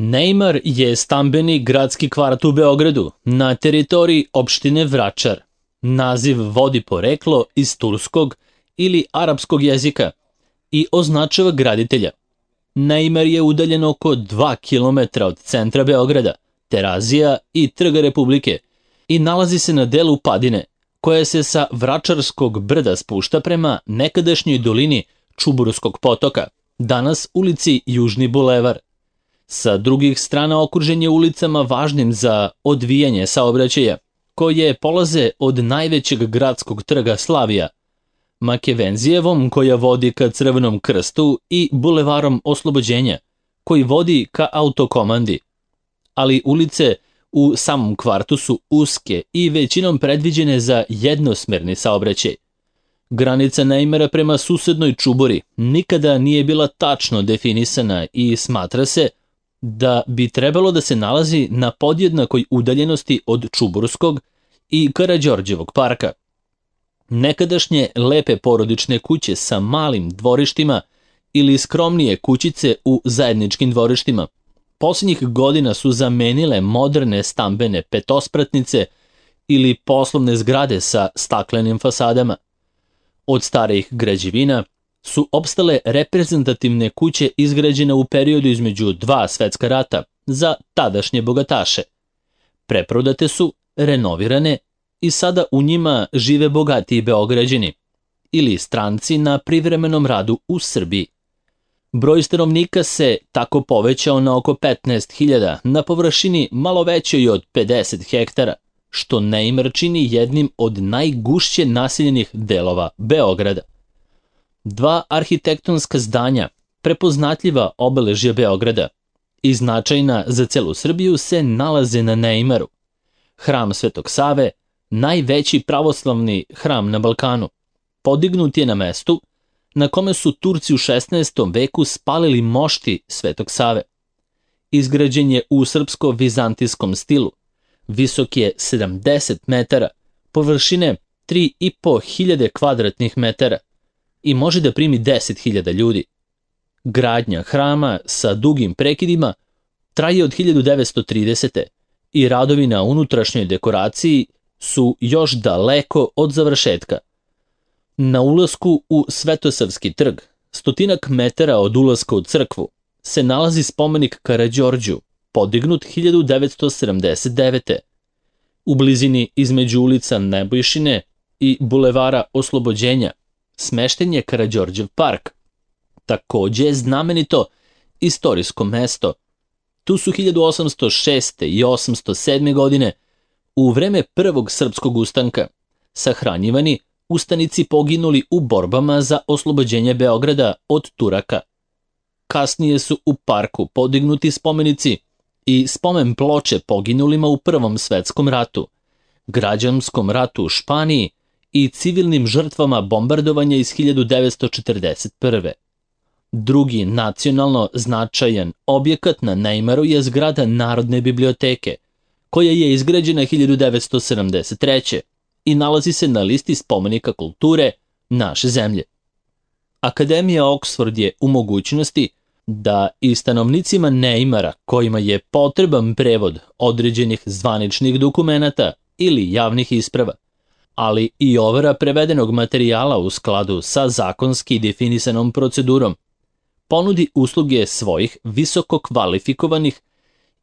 Neimar je stambeni gradski kvart u Beogradu, na teritoriji opštine Vračar. Naziv vodi poreklo iz turskog ili arapskog jezika i označava graditelja. Neimar je udaljen oko 2 km od centra Beograda, Terazija i Trga Republike i nalazi se na delu padine, koja se sa Vračarskog brda spušta prema nekadašnjoj dolini Čuburskog potoka, danas ulici Južni bulevar. Sa drugih strana okružen je ulicama važnim za odvijanje saobraćaja, koje polaze od najvećeg gradskog trga Slavija, Makevenzijevom koja vodi ka Crvenom krstu i bulevarom Oslobođenja, koji vodi ka autokomandi. Ali ulice u samom kvartu su uske i većinom predviđene za jednosmerni saobraćaj. Granica Neimara prema susednoj Čuburi nikada nije bila tačno definisana i smatra se da bi trebalo da se nalazi na podjednakoj udaljenosti od Čuburskog i Karađorđevog parka. Nekadašnje lepe porodične kuće sa malim dvorištima ili skromnije kućice u zajedničkim dvorištima posljednjih godina su zamenile moderne stambene petospratnice ili poslovne zgrade sa staklenim fasadama. Od starijih građevina su opstale reprezentativne kuće izgrađene u periodu između 2 svetska rata za tadašnje bogataše. Preprodate su, renovirane i sada u njima žive bogatiji Beograđani ili stranci na privremenom radu u Srbiji. Broj stanovnika se tako povećao na oko 15.000 na površini malo većoj od 50 hektara, što Neimar čini jednim od najgušće naseljenih delova Beograda. 2 arhitektonska zdanja, prepoznatljiva obeležja Beograda i značajna za celu Srbiju, se nalaze na Neimaru. Hram Svetog Save, najveći pravoslavni hram na Balkanu, podignut je na mestu na kome su Turci u 16. veku spalili mošti Svetog Save. Izgrađen je u srpsko-vizantijskom stilu, visok je 70 metara, površine 3.500 kvadratnih metara i može da primi 10.000 ljudi. Gradnja hrama sa dugim prekidima traje od 1930. i radovi na unutrašnjoj dekoraciji su još daleko od završetka. Na ulasku u Svetosavski trg, 100 metara od ulaska u crkvu, se nalazi spomenik Karađorđu, podignut 1979. U blizini između ulica Nebojšine i bulevara Oslobođenja smešten je Karađorđev park. Takođe je znamenito istorijsko mesto. Tu su 1806. i 807. godine, u vreme prvog srpskog ustanka, sahranjivani ustanici poginuli u borbama za oslobođenje Beograda od Turaka. Kasnije su u parku podignuti spomenici i spomen ploče poginulima u Prvom svetskom ratu, građanskom ratu u Španiji i civilnim žrtvama bombardovanja iz 1941. Drugi nacionalno značajan objekat na Neimaru je zgrada Narodne biblioteke, koja je izgrađena 1973. i nalazi se na listi spomenika kulture naše zemlje. Akademija Oxford je u mogućnosti da i stanovnicima Neimara, kojima je potreban prevod određenih zvaničnih dokumenata ili javnih isprava, ali i overa prevedenog materijala u skladu sa zakonski definisanom procedurom, ponudi usluge svojih visoko kvalifikovanih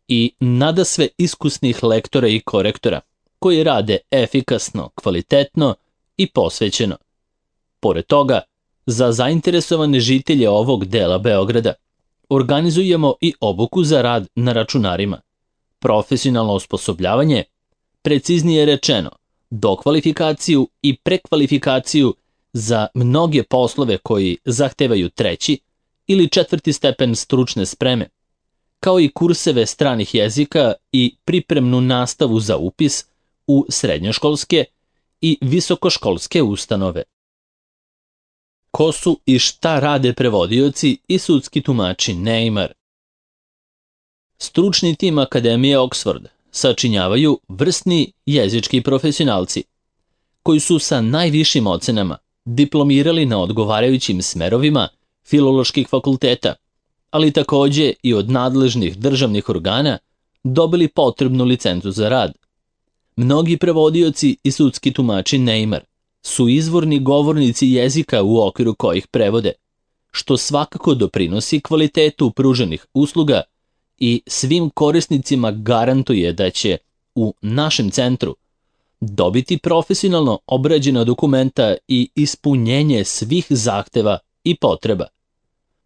i nadasve iskusnih lektora i korektora, koji rade efikasno, kvalitetno i posvećeno. Pored toga, za zainteresovane žitelje ovog dela Beograda organizujemo i obuku za rad na računarima, profesionalno osposobljavanje, preciznije rečeno, dokvalifikaciju i prekvalifikaciju za mnoge poslove koji zahtevaju 3. ili 4. stepen stručne spreme, kao i kurseve stranih jezika i pripremnu nastavu za upis u srednjoškolske i visokoškolske ustanove. Ko su i šta rade prevodioci i sudski tumači Neimar? Stručni tim Akademije Oxford sačinjavaju vrsni jezički profesionalci, koji su sa najvišim ocenama diplomirali na odgovarajućim smerovima filoloških fakulteta, ali takođe i od nadležnih državnih organa, dobili potrebnu licencu za rad. Mnogi prevodioci i sudski tumači Neymar su izvorni govornici jezika u okviru kojih prevode, što svakako doprinosi kvalitetu pruženih usluga i svim korisnicima garantuje da će u našem centru dobiti profesionalno obrađena dokumenta i ispunjenje svih zahteva i potreba.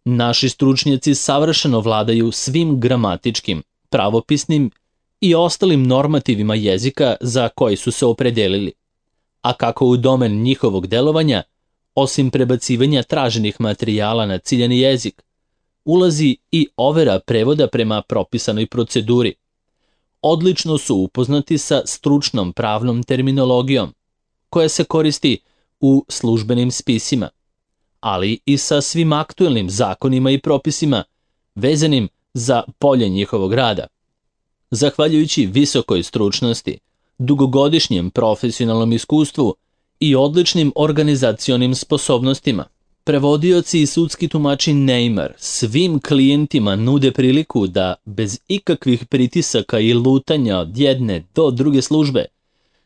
Naši stručnjaci savršeno vladaju svim gramatičkim, pravopisnim i ostalim normativima jezika za koji su se opredelili, a kako u domen njihovog delovanja, osim prebacivanja traženih materijala na ciljani jezik, ulazi i overa prevoda prema propisanoj proceduri. Odlično su upoznati sa stručnom pravnom terminologijom, koja se koristi u službenim spisima, ali i sa svim aktuelnim zakonima i propisima vezanim za polje njihovog rada. Zahvaljujući visokoj stručnosti, dugogodišnjem profesionalnom iskustvu i odličnim organizacionim sposobnostima, prevodioci i sudski tumači Neymar svim klijentima nude priliku da bez ikakvih pritisaka i lutanja od jedne do druge službe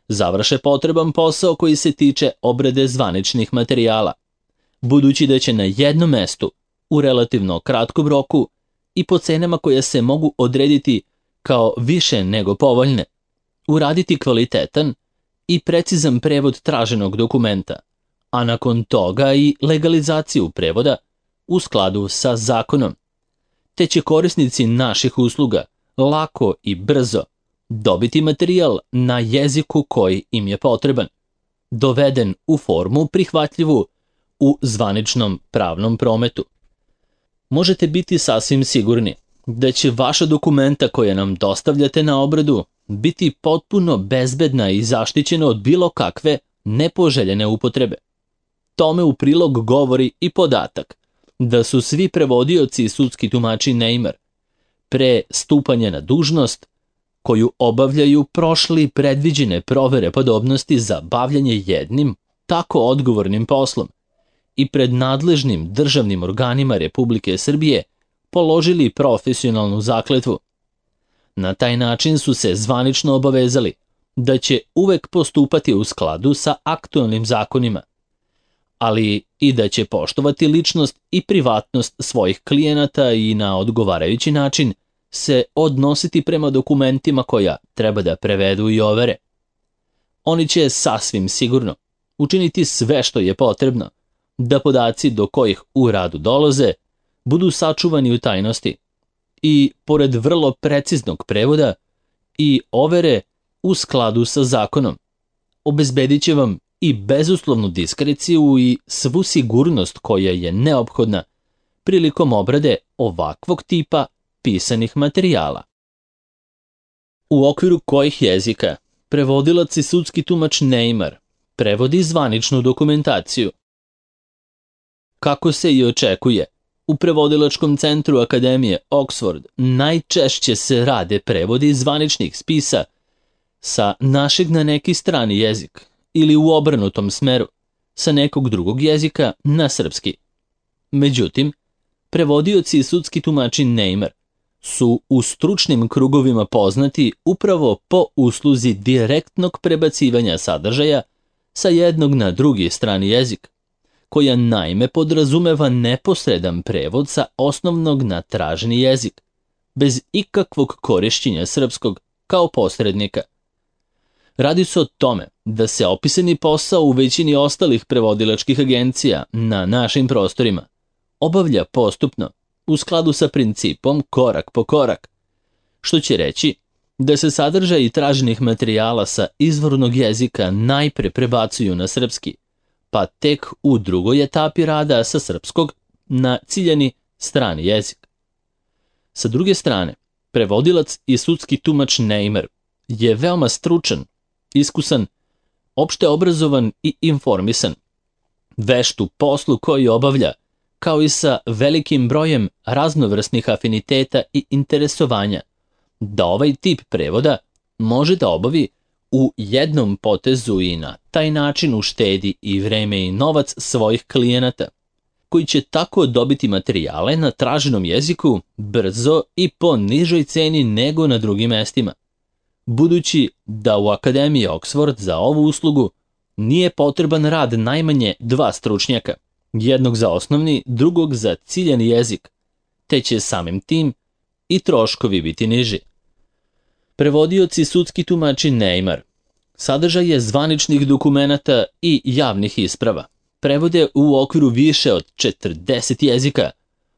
završe potreban posao koji se tiče obrade zvaničnih materijala, budući da će na jednom mestu u relativno kratkom roku i po cenama koje se mogu odrediti kao više nego povoljne, uraditi kvalitetan i precizan prevod traženog dokumenta, a nakon toga i legalizaciju prevoda u skladu sa zakonom, te će korisnici naših usluga lako i brzo dobiti materijal na jeziku koji im je potreban, doveden u formu prihvatljivu u zvaničnom pravnom prometu. Možete biti sasvim sigurni da će vaša dokumenta koje nam dostavljate na obradu biti potpuno bezbedna i zaštićena od bilo kakve nepoželjene upotrebe. Tome u prilog govori i podatak da su svi prevodioci i sudski tumači Neymar pre stupanja na dužnost koju obavljaju prošli predviđene provere podobnosti za bavljanje jednim tako odgovornim poslom i pred nadležnim državnim organima Republike Srbije položili profesionalnu zakletvu. Na taj način su se zvanično obavezali da će uvek postupati u skladu sa aktualnim zakonima, ali i da će poštovati ličnost i privatnost svojih klijenata i na odgovarajući način se odnositi prema dokumentima koja treba da prevedu i overe. Oni će sasvim sigurno učiniti sve što je potrebno da podaci do kojih u radu dolaze budu sačuvani u tajnosti i, pored vrlo preciznog prevoda i overe u skladu sa zakonom, obezbedit će vam i bezuslovnu diskreciju i svu sigurnost koja je neophodna prilikom obrade ovakvog tipa pisanih materijala. U okviru kojih jezika prevodilac i sudski tumač Neymar prevodi zvaničnu dokumentaciju. Kako se i očekuje, u prevodilačkom centru Akademije Oxford najčešće se rade prevodi zvaničnih spisa sa našeg na neki strani jezik ili u obrnutom smeru, sa nekog drugog jezika na srpski. Međutim, prevodioci i sudski tumači Neymar su u stručnim krugovima poznati upravo po usluzi direktnog prebacivanja sadržaja sa jednog na drugi strani jezik, koja naime podrazumeva neposredan prevod sa osnovnog na traženi jezik, bez ikakvog korišćenja srpskog kao posrednika. Radi se o tome da se opisani posao u većini ostalih prevodilačkih agencija na našim prostorima obavlja postupno u skladu sa principom korak po korak, što će reći da se sadržaj traženih materijala sa izvornog jezika najpre prebacuju na srpski, pa tek u drugoj etapi rada sa srpskog na ciljani strani jezik. Sa druge strane, prevodilac i sudski tumač Neymar je veoma stručan, iskusan, opšte obrazovan i informisan, vešt u poslu koji obavlja, kao i sa velikim brojem raznovrsnih afiniteta i interesovanja, da ovaj tip prevoda može da obavi u jednom potezu i na taj način uštedi i vreme i novac svojih klijenata, koji će tako dobiti materijale na traženom jeziku brzo i po nižoj ceni nego na drugim mestima. Budući da u Akademiji Oxford za ovu uslugu nije potreban rad najmanje 2 stručnjaka, jednog za osnovni, drugog za ciljani jezik, te će samim tim i troškovi biti niži. Prevodioci i sudski tumači Neymar sadržaj je zvaničnih dokumenata i javnih isprava. Prevode u okviru više od 40 jezika,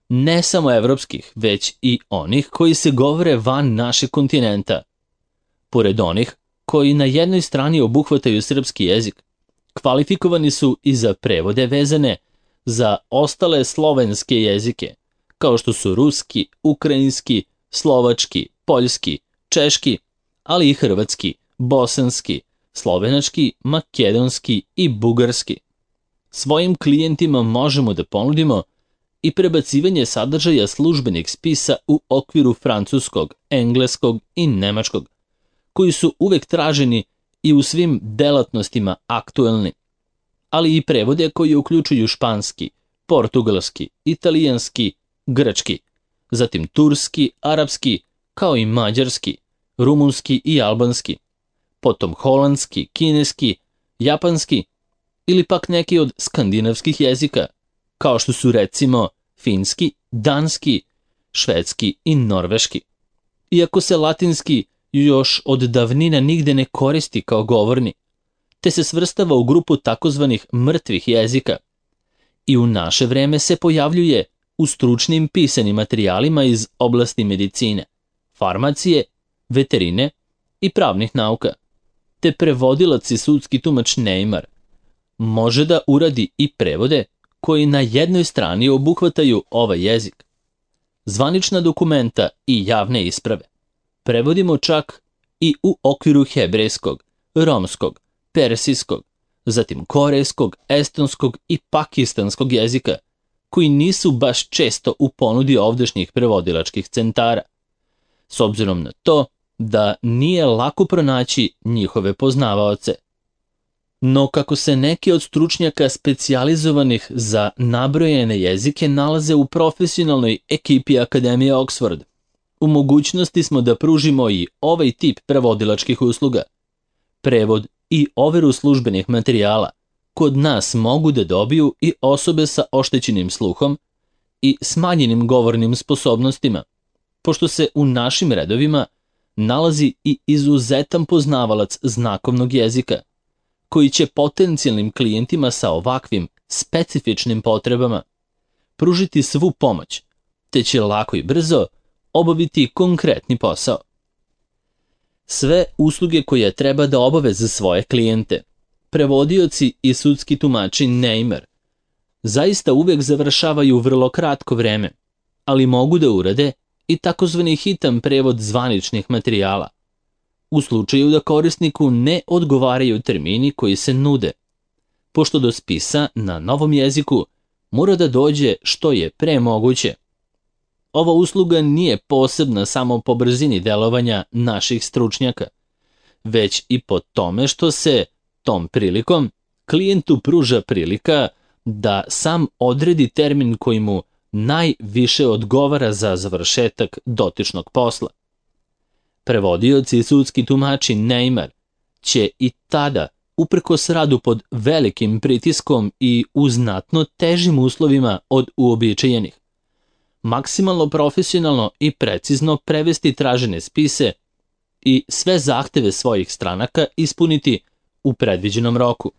ne samo evropskih, već i onih koji se govore van našeg kontinenta. Pored onih koji na jednoj strani obuhvataju srpski jezik, kvalifikovani su i za prevode vezane za ostale slovenske jezike, kao što su ruski, ukrajinski, slovački, poljski, češki, ali i hrvatski, bosanski, slovenački, makedonski i bugarski. Svojim klijentima možemo da ponudimo i prebacivanje sadržaja službenih spisa u okviru francuskog, engleskog i nemačkog, koji su uvek traženi i u svim delatnostima aktuelni, ali i prevode koji uključuju španski, portugalski, italijanski, grčki, zatim turski, arapski, kao i mađarski, rumunski i albanski, potom holandski, kineski, japanski ili pak neki od skandinavskih jezika, kao što su recimo finski, danski, švedski i norveški. Iako se latinski još od davnina nigde ne koristi kao govorni, te se svrstava u grupu takozvanih mrtvih jezika, i u naše vreme se pojavljuje u stručnim pisanim materijalima iz oblasti medicine, farmacije, veterine i pravnih nauka, te prevodilac i sudski tumač Neymar može da uradi i prevode koji na jednoj strani obuhvataju ovaj jezik, zvanična dokumenta i javne isprave. Prevodimo čak i u okviru hebrejskog, romskog, persijskog, zatim korejskog, estonskog i pakistanskog jezika, koji nisu baš često u ponudi ovdašnjih prevodilačkih centara, s obzirom na to da nije lako pronaći njihove poznavaoce. No kako se neki od stručnjaka specijalizovanih za nabrojene jezike nalaze u profesionalnoj ekipi Akademije Oxford, u mogućnosti smo da pružimo i ovaj tip prevodilačkih usluga. Prevod i overu službenih materijala kod nas mogu da dobiju i osobe sa oštećenim sluhom i smanjenim govornim sposobnostima, pošto se u našim redovima nalazi i izuzetan poznavalac znakovnog jezika, koji će potencijalnim klijentima sa ovakvim specifičnim potrebama pružiti svu pomoć, te će lako i brzo obaviti konkretni posao. Sve usluge koje treba da obave za svoje klijente, prevodioci i sudski tumači Neymar zaista uvek završavaju vrlo kratko vreme, ali mogu da urade i takozvani hitan prevod zvaničnih materijala, u slučaju da korisniku ne odgovaraju termini koji se nude, pošto do spisa na novom jeziku mora da dođe što je pre moguće. Ova usluga nije posebna samo po brzini delovanja naših stručnjaka, već i po tome što se tom prilikom klijentu pruža prilika da sam odredi termin koji mu najviše odgovara za završetak dotičnog posla. Prevodioci i sudski tumači Neymar će i tada, uprkos radu pod velikim pritiskom i u znatno težim uslovima od uobičajenih, maksimalno profesionalno i precizno prevesti tražene spise i sve zahteve svojih stranaka ispuniti u predviđenom roku.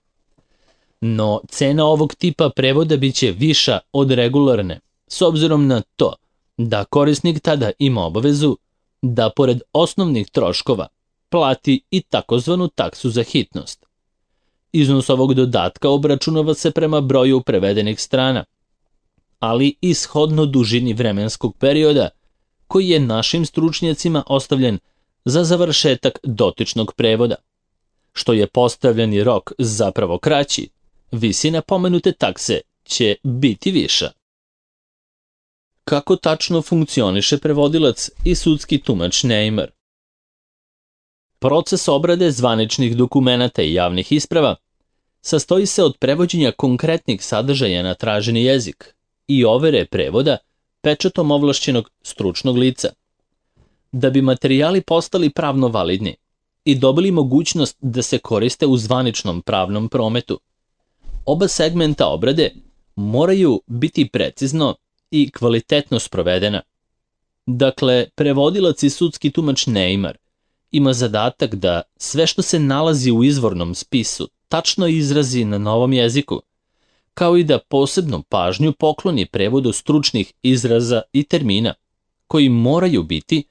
No, cena ovog tipa prevoda biće viša od regularne, s obzirom na to da korisnik tada ima obavezu da pored osnovnih troškova plati i takozvanu taksu za hitnost. Iznos ovog dodatka obračunava se prema broju prevedenih strana, ali i shodno dužini vremenskog perioda koji je našim stručnjacima ostavljen za završetak dotičnog prevoda. Što je postavljeni rok zapravo kraći, visina pomenute takse će biti viša. Kako tačno funkcioniše prevodilac i sudski tumač Neymar? Proces obrade zvaničnih dokumenata i javnih isprava sastoji se od prevođenja konkretnih sadržaja na traženi jezik i overe prevoda pečatom ovlašćenog stručnog lica. Da bi materijali postali pravno validni i dobili mogućnost da se koriste u zvaničnom pravnom prometu, oba segmenta obrade moraju biti precizno i kvalitetno sprovedena. Dakle, prevodilac i sudski tumač Neymar ima zadatak da sve što se nalazi u izvornom spisu tačno izrazi na novom jeziku, kao i da posebnu pažnju pokloni prevodu stručnih izraza i termina, koji moraju biti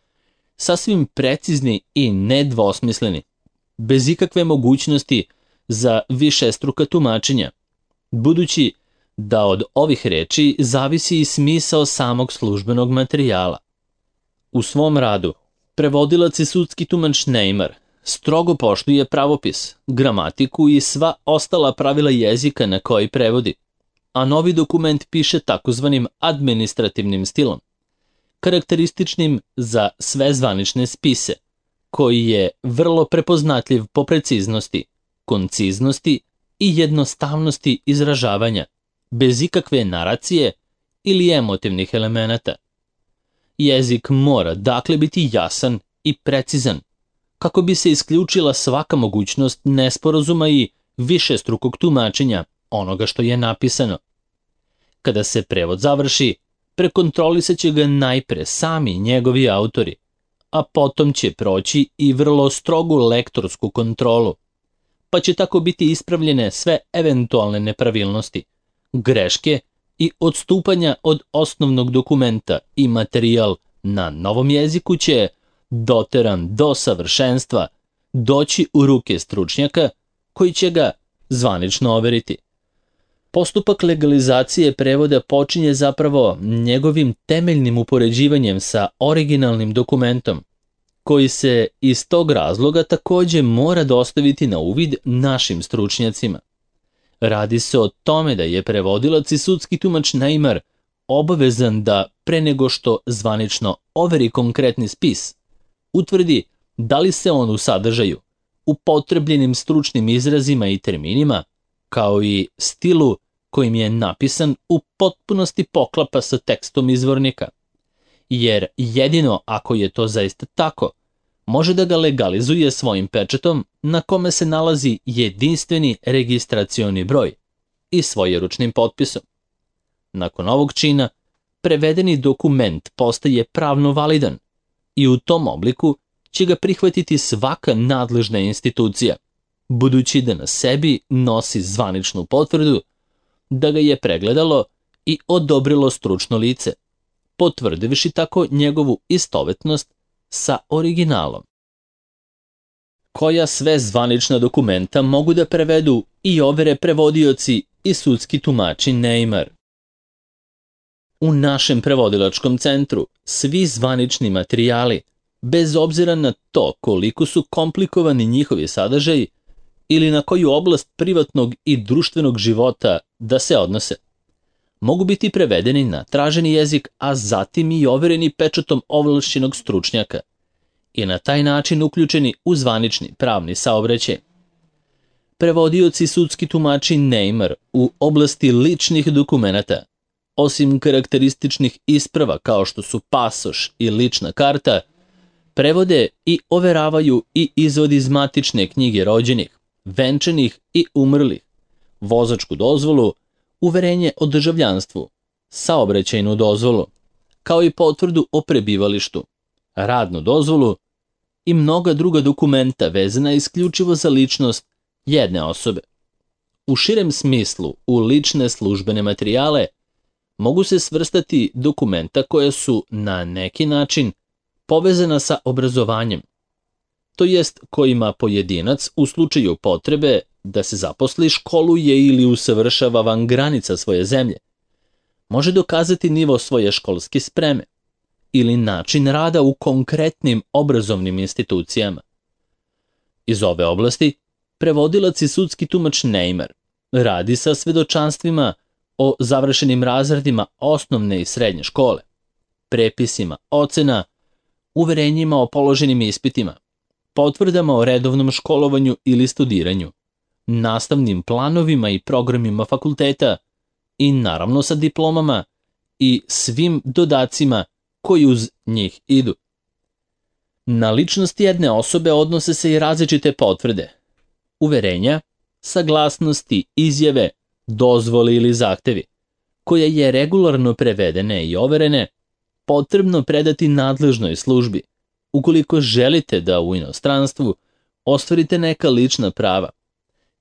sasvim precizni i nedvosmisleni, bez ikakve mogućnosti za višestruka tumačenja, budući da od ovih reči zavisi i smisao samog službenog materijala. U svom radu, prevodilac i sudski tumač Neymar strogo poštuje pravopis, gramatiku i sva ostala pravila jezika na koji prevodi, a novi dokument piše takozvanim administrativnim stilom, karakterističnim za sve zvanične spise, koji je vrlo prepoznatljiv po preciznosti, konciznosti i jednostavnosti izražavanja, bez ikakve naracije ili emotivnih elemenata. Jezik mora dakle biti jasan i precizan, kako bi se isključila svaka mogućnost nesporazuma i višestrukog tumačenja onoga što je napisano. Kada se prevod završi, prekontrolisat će ga najpre sami njegovi autori, a potom će proći i vrlo strogu lektorsku kontrolu, pa će tako biti ispravljene sve eventualne nepravilnosti, greške i odstupanja od osnovnog dokumenta i materijal na novom jeziku će, doteran do savršenstva, doći u ruke stručnjaka koji će ga zvanično overiti. Postupak legalizacije prevoda počinje zapravo njegovim temeljnim upoređivanjem sa originalnim dokumentom, koji se iz tog razloga takođe mora dostaviti na uvid našim stručnjacima. Radi se o tome da je prevodilac i sudski tumač Neymar obavezan da pre nego što zvanično overi konkretni spis, utvrdi da li se on u sadržaju, upotrebljenim stručnim izrazima i terminima, kao i stilu kojim je napisan, u potpunosti poklapa sa tekstom izvornika. Jer jedino ako je to zaista tako, može da ga legalizuje svojim pečatom na kome se nalazi jedinstveni registracioni broj i svojeručnim potpisom. Nakon ovog čina, prevedeni dokument postaje pravno validan i u tom obliku će ga prihvatiti svaka nadležna institucija, budući da na sebi nosi zvaničnu potvrdu da ga je pregledalo i odobrilo stručno lice, potvrdivši tako njegovu istovetnost sa originalom. Koja sve zvanična dokumenta mogu da prevedu i overe prevodioci i sudski tumači Neymar? U našem prevodilačkom centru svi zvanični materijali, bez obzira na to koliko su komplikovani njihovi sadržaji ili na koju oblast privatnog i društvenog života da se odnose, mogu biti prevedeni na traženi jezik, a zatim i overeni pečatom ovlašćenog stručnjaka i na taj način uključeni u zvanični pravni saobraćaj. Prevodioci i sudski tumači Neymar u oblasti ličnih dokumenata, osim karakterističnih isprava kao što su pasoš i lična karta, prevode i overavaju i izvod iz matične knjige rođenih, venčanih i umrlih, vozačku dozvolu, uverenje o državljanstvu, saobraćajnu dozvolu, kao i potvrdu o prebivalištu, radnu dozvolu i mnoga druga dokumenta vezana isključivo za ličnost jedne osobe. U širem smislu, u lične službene materijale mogu se svrstati dokumenta koja su na neki način povezana sa obrazovanjem, to jest kojima pojedinac u slučaju potrebe da se zaposli, školuje ili usavršava van granica svoje zemlje, može dokazati nivo svoje školske spreme ili način rada u konkretnim obrazovnim institucijama. Iz ove oblasti prevodilac i sudski tumač Neymar radi sa svedočanstvima o završenim razredima osnovne i srednje škole, prepisima ocena, uverenjima o položenim ispitima, potvrdama o redovnom školovanju ili studiranju, nastavnim planovima i programima fakulteta i naravno sa diplomama i svim dodacima koji uz njih idu. Na ličnost jedne osobe odnose se i različite potvrde, uverenja, saglasnosti, izjave, dozvole ili zahtevi, koje je regularno prevedene i overene, potrebno predati nadležnoj službi, ukoliko želite da u inostranstvu ostvarite neka lična prava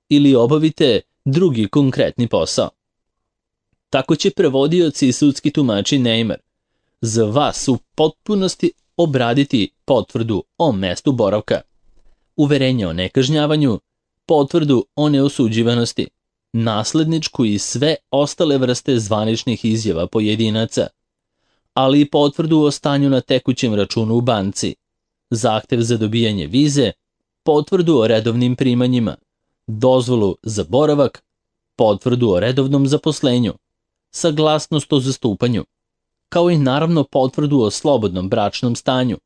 ili obavite drugi konkretni posao. Tako će prevodioci i sudski tumači Neymar za vas u potpunosti obraditi potvrdu o mestu boravka, uverenje o nekažnjavanju, potvrdu o neosuđivanosti, nasledničku i sve ostale vrste zvaničnih izjava pojedinaca, ali i potvrdu o stanju na tekućem računu u banci, zahtev za dobijanje vize, potvrdu o redovnim primanjima, dozvolu za boravak, potvrdu o redovnom zaposlenju, saglasnost o zastupanju, kao i naravno potvrdu o slobodnom bračnom stanju,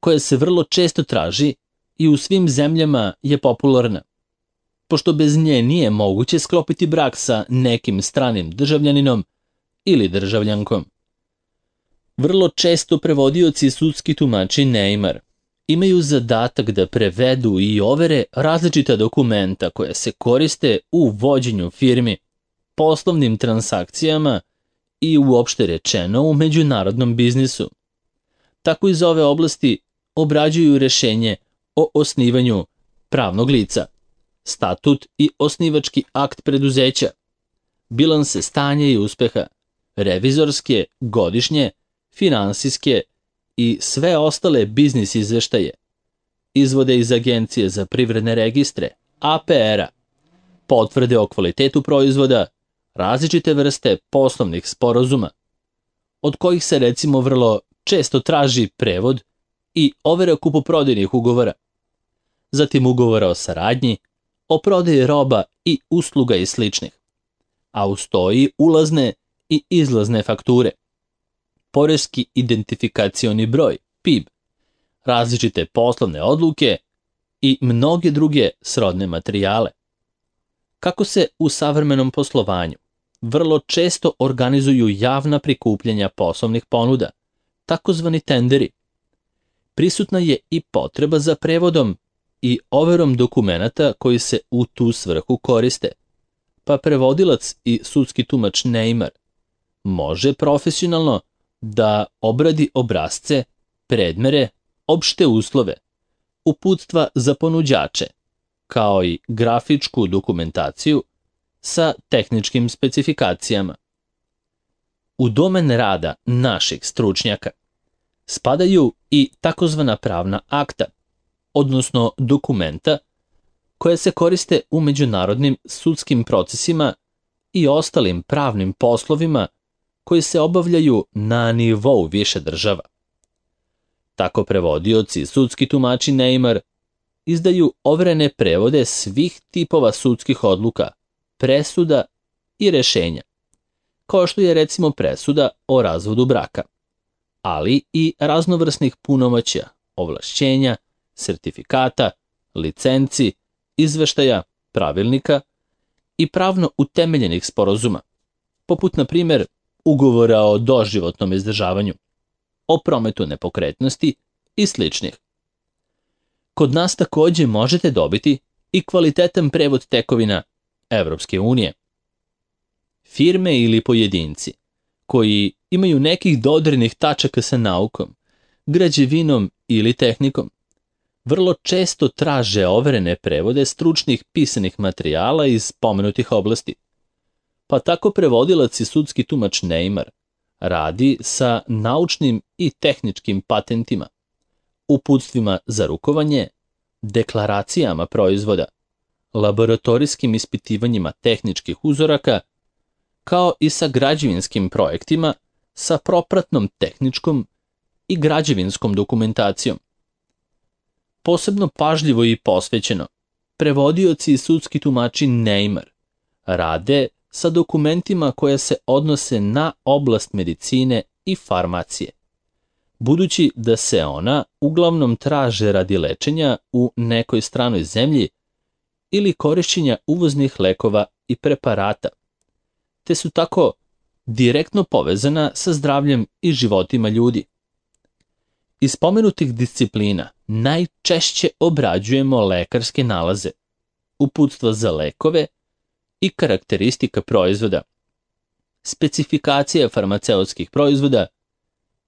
koja se vrlo često traži i u svim zemljama je popularna, pošto bez nje nije moguće sklopiti brak sa nekim stranim državljaninom ili državljankom. Vrlo često prevodioci i sudski tumači Neymar imaju zadatak da prevedu i overe različita dokumenta koja se koriste u vođenju firmi, poslovnim transakcijama i uopšte rečeno u međunarodnom biznisu. Tako iz ove oblasti obrađuju rešenje o osnivanju pravnog lica, statut i osnivački akt preduzeća, bilanse stanja i uspeha, revizorske, godišnje, finansijske i sve ostale biznis izveštaje, izvode iz Agencije za privredne registre, APR-a, potvrde o kvalitetu proizvoda, različite vrste poslovnih sporazuma, od kojih se recimo vrlo često traži prevod i overa kupoprodajnih ugovora, zatim ugovora o saradnji, o prodaji roba i usluga i sličnih, a uz to i ulazne i izlazne fakture, poreski identifikacioni broj, PIB, različite poslovne odluke i mnoge druge srodne materijale. Kako se u savremenom poslovanju vrlo često organizuju javna prikupljanja poslovnih ponuda, takozvani tenderi, prisutna je i potreba za prevodom i overom dokumenata koji se u tu svrhu koriste, pa prevodilac i sudski tumač Neymar može profesionalno da obradi obrasce, predmere, opšte uslove, uputstva za ponuđače, kao i grafičku dokumentaciju sa tehničkim specifikacijama. U domen rada naših stručnjaka spadaju i takozvana pravna akta, odnosno dokumenta koje se koriste u međunarodnim sudskim procesima i ostalim pravnim poslovima koji se obavljaju na nivou više država. Tako prevodioci i sudski tumači Neymar izdaju overene prevode svih tipova sudskih odluka, presuda i rešenja, kao što je recimo presuda o razvodu braka, ali i raznovrsnih punomoćja, ovlašćenja, sertifikata, licenci, izveštaja, pravilnika i pravno utemeljenih sporazuma, poput na primjer ugovora o doživotnom izdržavanju, o prometu nepokretnosti i sličnih. Kod nas takođe možete dobiti i kvalitetan prevod tekovina Evropske unije. Firme ili pojedinci koji imaju nekih dodirnih tačaka sa naukom, građevinom ili tehnikom, vrlo često traže overene prevode stručnih pisanih materijala iz pomenutih oblasti. Pa tako prevodilac i sudski tumač Neymar radi sa naučnim i tehničkim patentima, uputstvima za rukovanje, deklaracijama proizvoda, laboratorijskim ispitivanjima tehničkih uzoraka, kao i sa građevinskim projektima sa propratnom tehničkom i građevinskom dokumentacijom. Posebno pažljivo i posvećeno, prevodioci i sudski tumači Neymar rade sa dokumentima koje se odnose na oblast medicine i farmacije, budući da se ona uglavnom traže radi lečenja u nekoj stranoj zemlji ili korišćenja uvoznih lekova i preparata, te su tako direktno povezana sa zdravljem i životima ljudi. Iz spomenutih disciplina najčešće obrađujemo lekarske nalaze, uputstva za lekove i karakteristika proizvoda, specifikacija farmaceutskih proizvoda,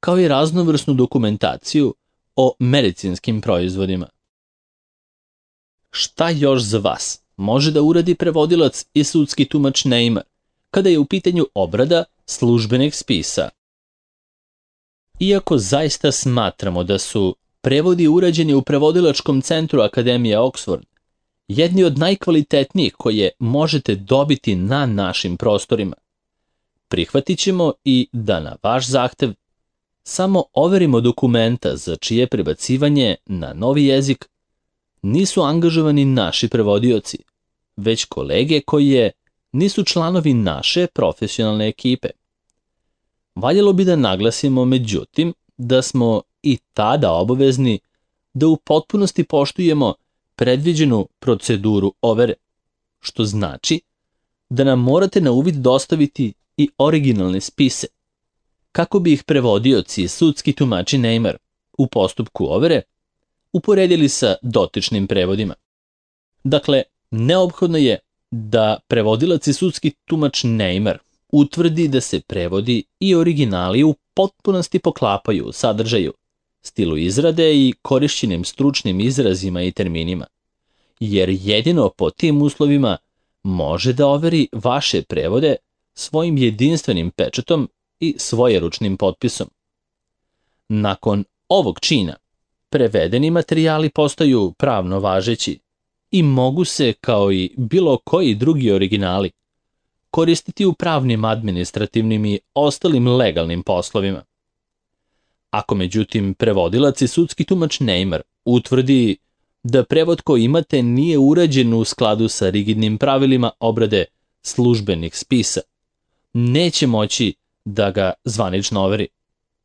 kao i raznovrsnu dokumentaciju o medicinskim proizvodima. Šta još za vas može da uradi prevodilac i sudski tumač Neymar kada je u pitanju obrada službenih spisa? Iako zaista smatramo da su prevodi urađeni u prevodilačkom centru Akademije Oxford jedni od najkvalitetnijih koje možete dobiti na našim prostorima, prihvatit ćemo i da na vaš zahtev samo overimo dokumenta za čije prebacivanje na novi jezik nisu angažovani naši prevodioci, već kolege koje nisu članovi naše profesionalne ekipe. Valjalo bi da naglasimo, međutim, da smo i tada obavezni da u potpunosti poštujemo predviđenu proceduru overe, što znači da nam morate na uvid dostaviti i originalne spise, kako bi ih prevodioci i sudski tumači Neymar u postupku overe uporedili sa dotičnim prevodima. Dakle, neophodno je da prevodilac i sudski tumač Neymar utvrdi da se prevodi i originali u potpunosti poklapaju u sadržaju, stilu izrade i korišćenim stručnim izrazima i terminima, jer jedino po tim uslovima može da overi vaše prevode svojim jedinstvenim pečatom i svojeručnim potpisom. Nakon ovog čina, prevedeni materijali postaju pravno važeći i mogu se, kao i bilo koji drugi originali, koristiti u pravnim, administrativnim i ostalim legalnim poslovima. Ako međutim prevodilac i sudski tumač Neymar utvrdi da prevod koji imate nije urađen u skladu sa rigidnim pravilima obrade službenih spisa, neće moći da ga zvanično overi,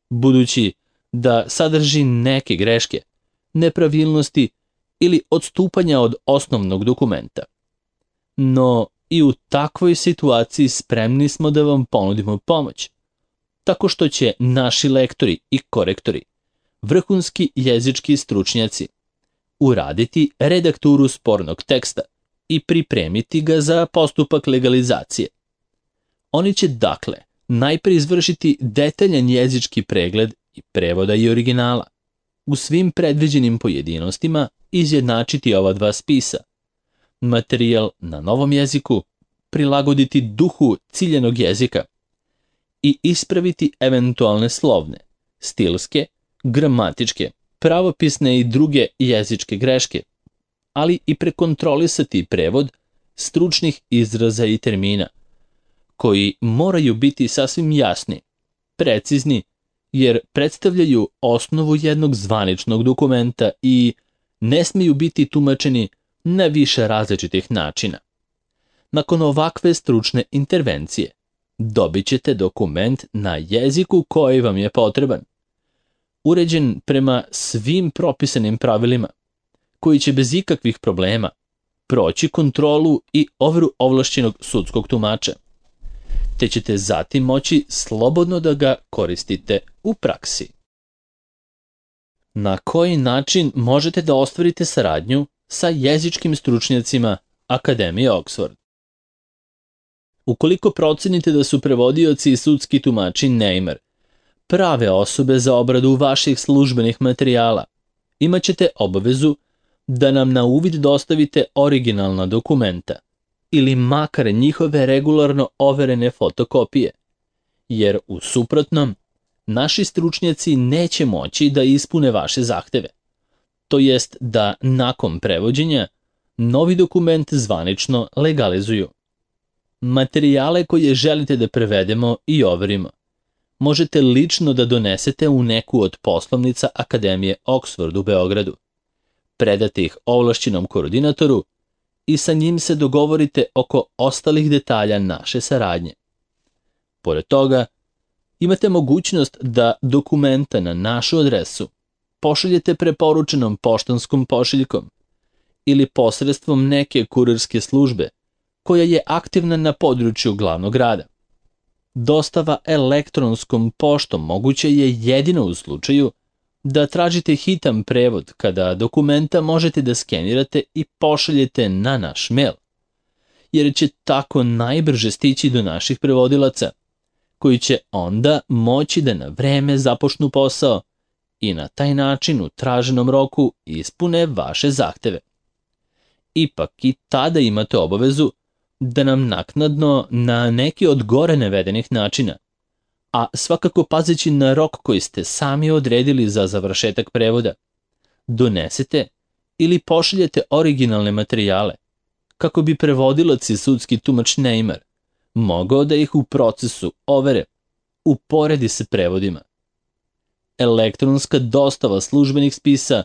budući da sadrži neke greške, nepravilnosti ili odstupanja od osnovnog dokumenta. No i u takvoj situaciji spremni smo da vam ponudimo pomoć, tako što će naši lektori i korektori, vrhunski jezički stručnjaci, uraditi redakturu spornog teksta i pripremiti ga za postupak legalizacije. Oni će dakle najpre izvršiti detaljan jezički pregled i prevoda i originala, u svim predviđenim pojedinostima izjednačiti ova dva spisa, materijal na novom jeziku prilagoditi duhu ciljanog jezika i ispraviti eventualne slovne, stilske, gramatičke, pravopisne i druge jezičke greške, ali i prekontrolisati prevod stručnih izraza i termina, koji moraju biti sasvim jasni, precizni, jer predstavljaju osnovu jednog zvaničnog dokumenta i ne smiju biti tumačeni na više različitih načina. Nakon ovakve stručne intervencije, dobit ćete dokument na jeziku koji vam je potreban, uređen prema svim propisanim pravilima, koji će bez ikakvih problema proći kontrolu i overu ovlašćenog sudskog tumača, te ćete zatim moći slobodno da ga koristite u praksi. Na koji način možete da ostvarite saradnju sa jezičkim stručnjacima Akademije Oxford? Ukoliko procenite da su prevodioci i sudski tumači Neymar prave osobe za obradu vaših službenih materijala, imat ćete obavezu da nam na uvid dostavite originalna dokumenta ili makar njihove regularno overene fotokopije, jer u suprotnom naši stručnjaci neće moći da ispune vaše zahteve, to jest da nakon prevođenja novi dokument zvanično legalizuju. Materijale koje želite da prevedemo i overimo možete lično da donesete u neku od poslovnica Akademije Oxford u Beogradu, predate ih ovlašćenom koordinatoru i sa njim se dogovorite oko ostalih detalja naše saradnje. Pored toga, imate mogućnost da dokumenta na našu adresu pošaljete preporučenom poštanskom pošiljkom ili posredstvom neke kurirske službe koja je aktivna na području glavnog grada. Dostava elektronskom poštom moguće je jedino u slučaju da tražite hitan prevod kada dokumenta možete da skenirate i pošaljete na naš mail, jer će tako najbrže stići do naših prevodilaca, koji će onda moći da na vreme započnu posao i na taj način u traženom roku ispune vaše zahteve. Ipak i tada imate obavezu da nam naknadno na neki od gore navedenih načina, a svakako pazeći na rok koji ste sami odredili za završetak prevoda, donesete ili pošaljete originalne materijale, kako bi prevodilac i sudski tumač Neymar mogao da ih u procesu overe uporedi sa prevodima. Elektronska dostava službenih spisa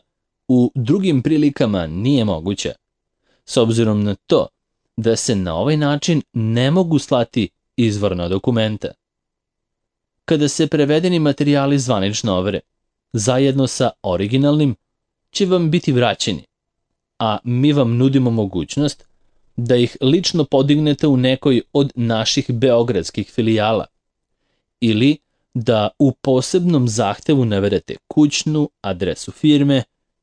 u drugim prilikama nije moguća, s obzirom na to da se na ovaj način ne mogu slati izvorna dokumenta. Kada se prevedeni materijali zvanično overe, zajedno sa originalnim će vam biti vraćeni, a mi vam nudimo mogućnost da ih lično podignete u nekoj od naših beogradskih filijala ili da u posebnom zahtevu navedete kućnu adresu firme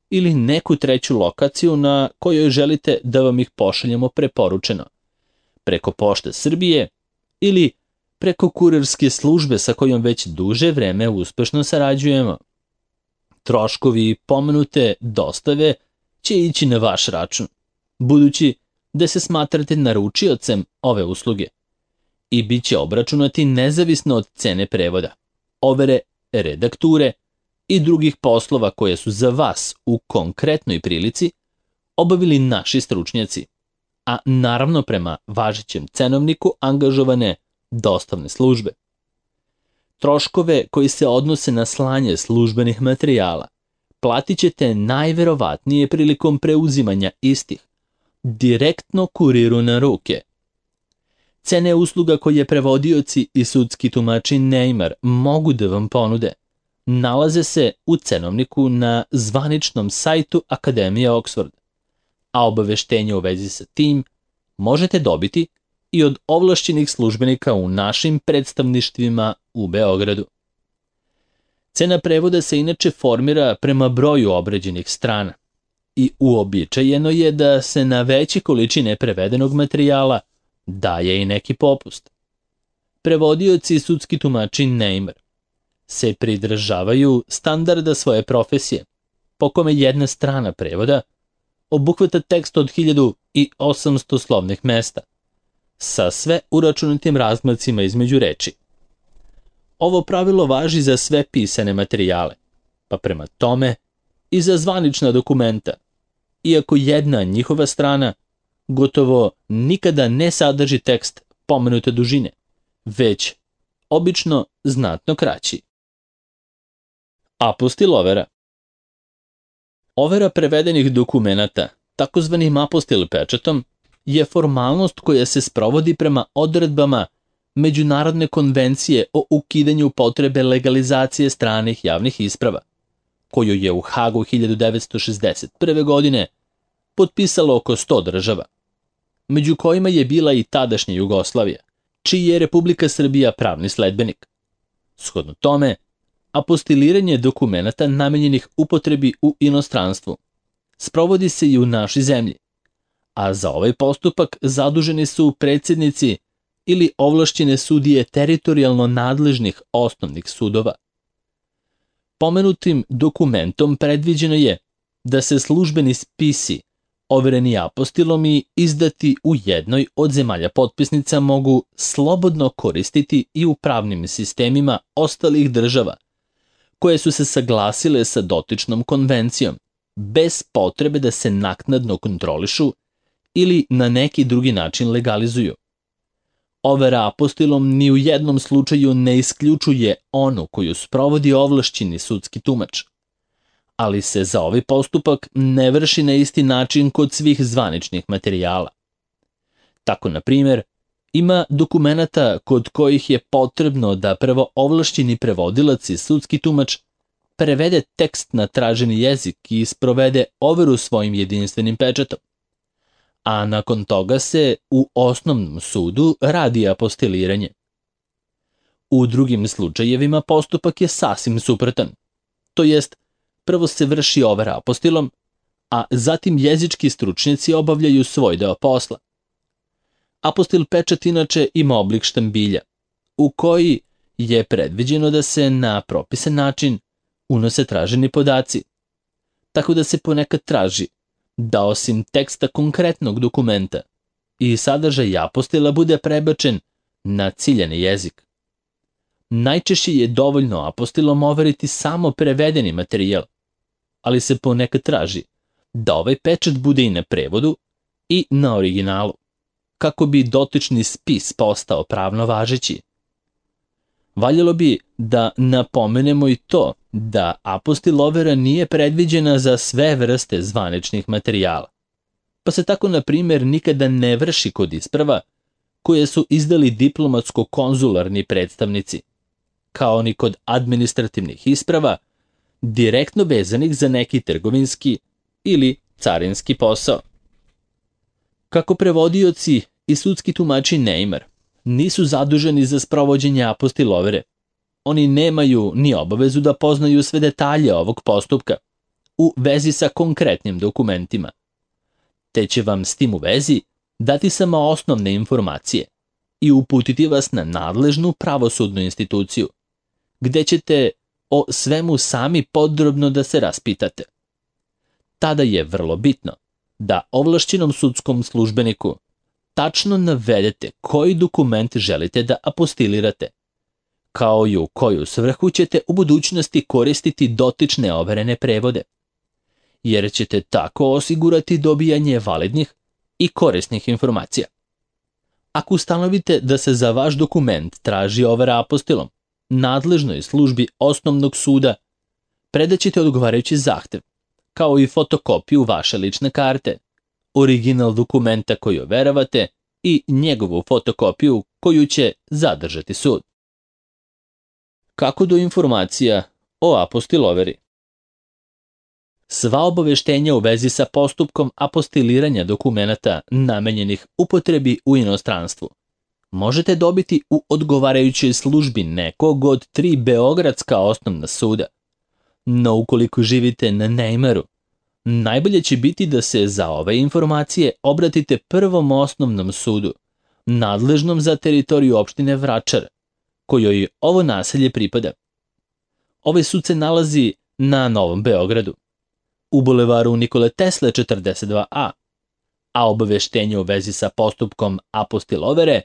ili neku treću lokaciju na kojoj želite da vam ih pošaljemo preporučeno, preko Pošte Srbije ili preko kurirske službe sa kojom već duže vreme uspešno sarađujemo. Troškovi pomenute dostave će ići na vaš račun, budući da se smatrate naručiocem ove usluge i bit će obračunati nezavisno od cene prevoda, overe, redakture i drugih poslova koje su za vas u konkretnoj prilici obavili naši stručnjaci, a naravno prema važećem cenovniku angažovane dostavne službe. Troškove koji se odnose na slanje službenih materijala platit ćete najverovatnije prilikom preuzimanja istih, direktno kuriru na ruke. Cene usluga koje prevodioci i sudski tumači Neymar mogu da vam ponude nalaze se u cenovniku na zvaničnom sajtu Akademije Oxford, a obaveštenje u vezi sa tim možete dobiti i od ovlašćenih službenika u našim predstavništvima u Beogradu. Cena prevoda se inače formira prema broju obrađenih strana i uobičajeno je da se na veće količine prevedenog materijala daje i neki popust. Prevodioci i sudski tumači Neymar se pridržavaju standarda svoje profesije, po kome jedna strana prevoda obuhvata tekst od 1800 slovnih mesta, sa sve uračunatim razmacima između reči. Ovo pravilo važi za sve pisane materijale, pa prema tome i za zvanična dokumenta, iako jedna njihova strana gotovo nikada ne sadrži tekst pomenute dužine, već obično znatno kraći. Apostil overa. Overa prevedenih dokumenata, takozvanim apostil pečatom, je formalnost koja se sprovodi prema odredbama Međunarodne konvencije o ukidanju potrebe legalizacije stranih javnih isprava, koju je u Hagu 1961. godine potpisalo oko 100 država, među kojima je bila i tadašnja Jugoslavija, čiji je Republika Srbija pravni sledbenik. Shodno tome, apostiliranje dokumenata namenjenih upotrebi u inostranstvu sprovodi se i u našoj zemlji, a za ovaj postupak zaduženi su predsjednici ili ovlašćene sudije teritorijalno nadležnih osnovnih sudova. Pomenutim dokumentom predviđeno je da se službeni spisi overeni apostilom i izdati u jednoj od zemalja potpisnica mogu slobodno koristiti i u pravnim sistemima ostalih država koje su se saglasile sa dotičnom konvencijom, bez potrebe da se naknadno kontrolišu ili na neki drugi način legalizuju. Overa apostilom ni u jednom slučaju ne isključuje onu koju sprovodi ovlašćeni sudski tumač, ali se za ovaj postupak ne vrši na isti način kod svih zvaničnih materijala. Tako, na primjer, ima dokumenata kod kojih je potrebno da prvo ovlašćeni prevodilac i sudski tumač prevede tekst na traženi jezik i sprovede overu svojim jedinstvenim pečatom, a nakon toga se u osnovnom sudu radi apostiliranje. U drugim slučajevima postupak je sasvim suprotan. To jest, prvo se vrši overa apostilom, a zatim jezički stručnjaci obavljaju svoj deo posla. Apostil pečat inače ima oblik štambilja, u koji je predviđeno da se na propisan način unose traženi podaci, tako da se ponekad traži da osim teksta konkretnog dokumenta i sadržaj apostila bude prebačen na ciljani jezik. Najčešće je dovoljno apostilom overiti samo prevedeni materijal, ali se ponekad traži da ovaj pečat bude i na prevodu i na originalu, kako bi dotični spis postao pravno važeći. Valjalo bi da napomenemo i to da apostil overa nije predviđena za sve vrste zvaničnih materijala, pa se tako, na primjer, nikada ne vrši kod isprava koje su izdali diplomatsko-konzularni predstavnici, kao ni kod administrativnih isprava direktno vezanih za neki trgovinski ili carinski posao. Kako prevodioci i sudski tumači Neymar nisu zaduženi za sprovođenje apostil overe, oni nemaju ni obavezu da poznaju sve detalje ovog postupka u vezi sa konkretnim dokumentima, te će vam s tim u vezi dati samo osnovne informacije i uputiti vas na nadležnu pravosudnu instituciju, gde ćete o svemu sami podrobno da se raspitate. Tada je vrlo bitno da ovlašćenom sudskom službeniku tačno navedete koji dokument želite da apostilirate, kao i u koju svrhu ćete u budućnosti koristiti dotične overene prevode, jer ćete tako osigurati dobijanje validnih i korisnih informacija. Ako ustanovite da se za vaš dokument traži overa apostilom, nadležnoj službi osnovnog suda predaćete odgovarajući zahtev, kao i fotokopiju vaše lične karte, original dokumenta koji overavate i njegovu fotokopiju koju će zadržati sud. Kako do informacija o apostil overi? Sva obaveštenja u vezi sa postupkom apostiliranja dokumenata namenjenih upotrebi u inostranstvu možete dobiti u odgovarajućoj službi nekog od 3 beogradska osnovna suda. No ukoliko živite na Neymaru, najbolje će biti da se za ove informacije obratite Prvom osnovnom sudu, nadležnom za teritoriju opštine Vračar, kojoj ovo naselje pripada. Ovaj sud se nalazi na Novom Beogradu, u bulevaru Nikole Tesle 42A, a obaveštenje u vezi sa postupkom apostil overe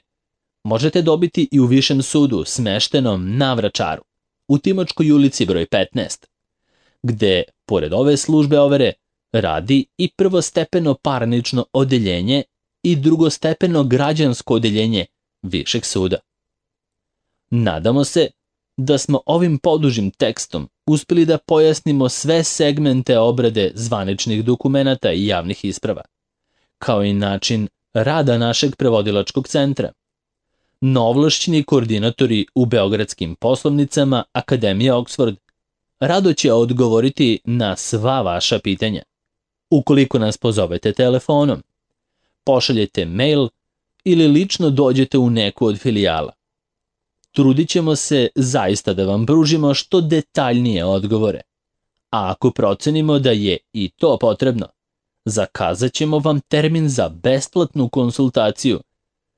možete dobiti i u Višem sudu smeštenom na Vračaru, u Timočkoj ulici broj 15, gde, pored ove službe overe, radi i prvostepeno parnično odeljenje i drugostepeno građansko odeljenje Višeg suda. Nadamo se da smo ovim podužim tekstom uspeli da pojasnimo sve segmente obrade zvaničnih dokumenata i javnih isprava, kao i način rada našeg prevodilačkog centra. Novovlašćeni koordinatori u beogradskim poslovnicama Akademije Oxford rado će odgovoriti na sva vaša pitanja. Ukoliko nas pozovete telefonom, pošaljete mail ili lično dođete u neku od filijala. Trudit ćemo se zaista da vam pružimo što detaljnije odgovore, a ako procenimo da je i to potrebno, zakazat ćemo vam termin za besplatnu konsultaciju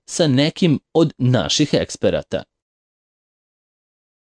sa nekim od naših eksperata.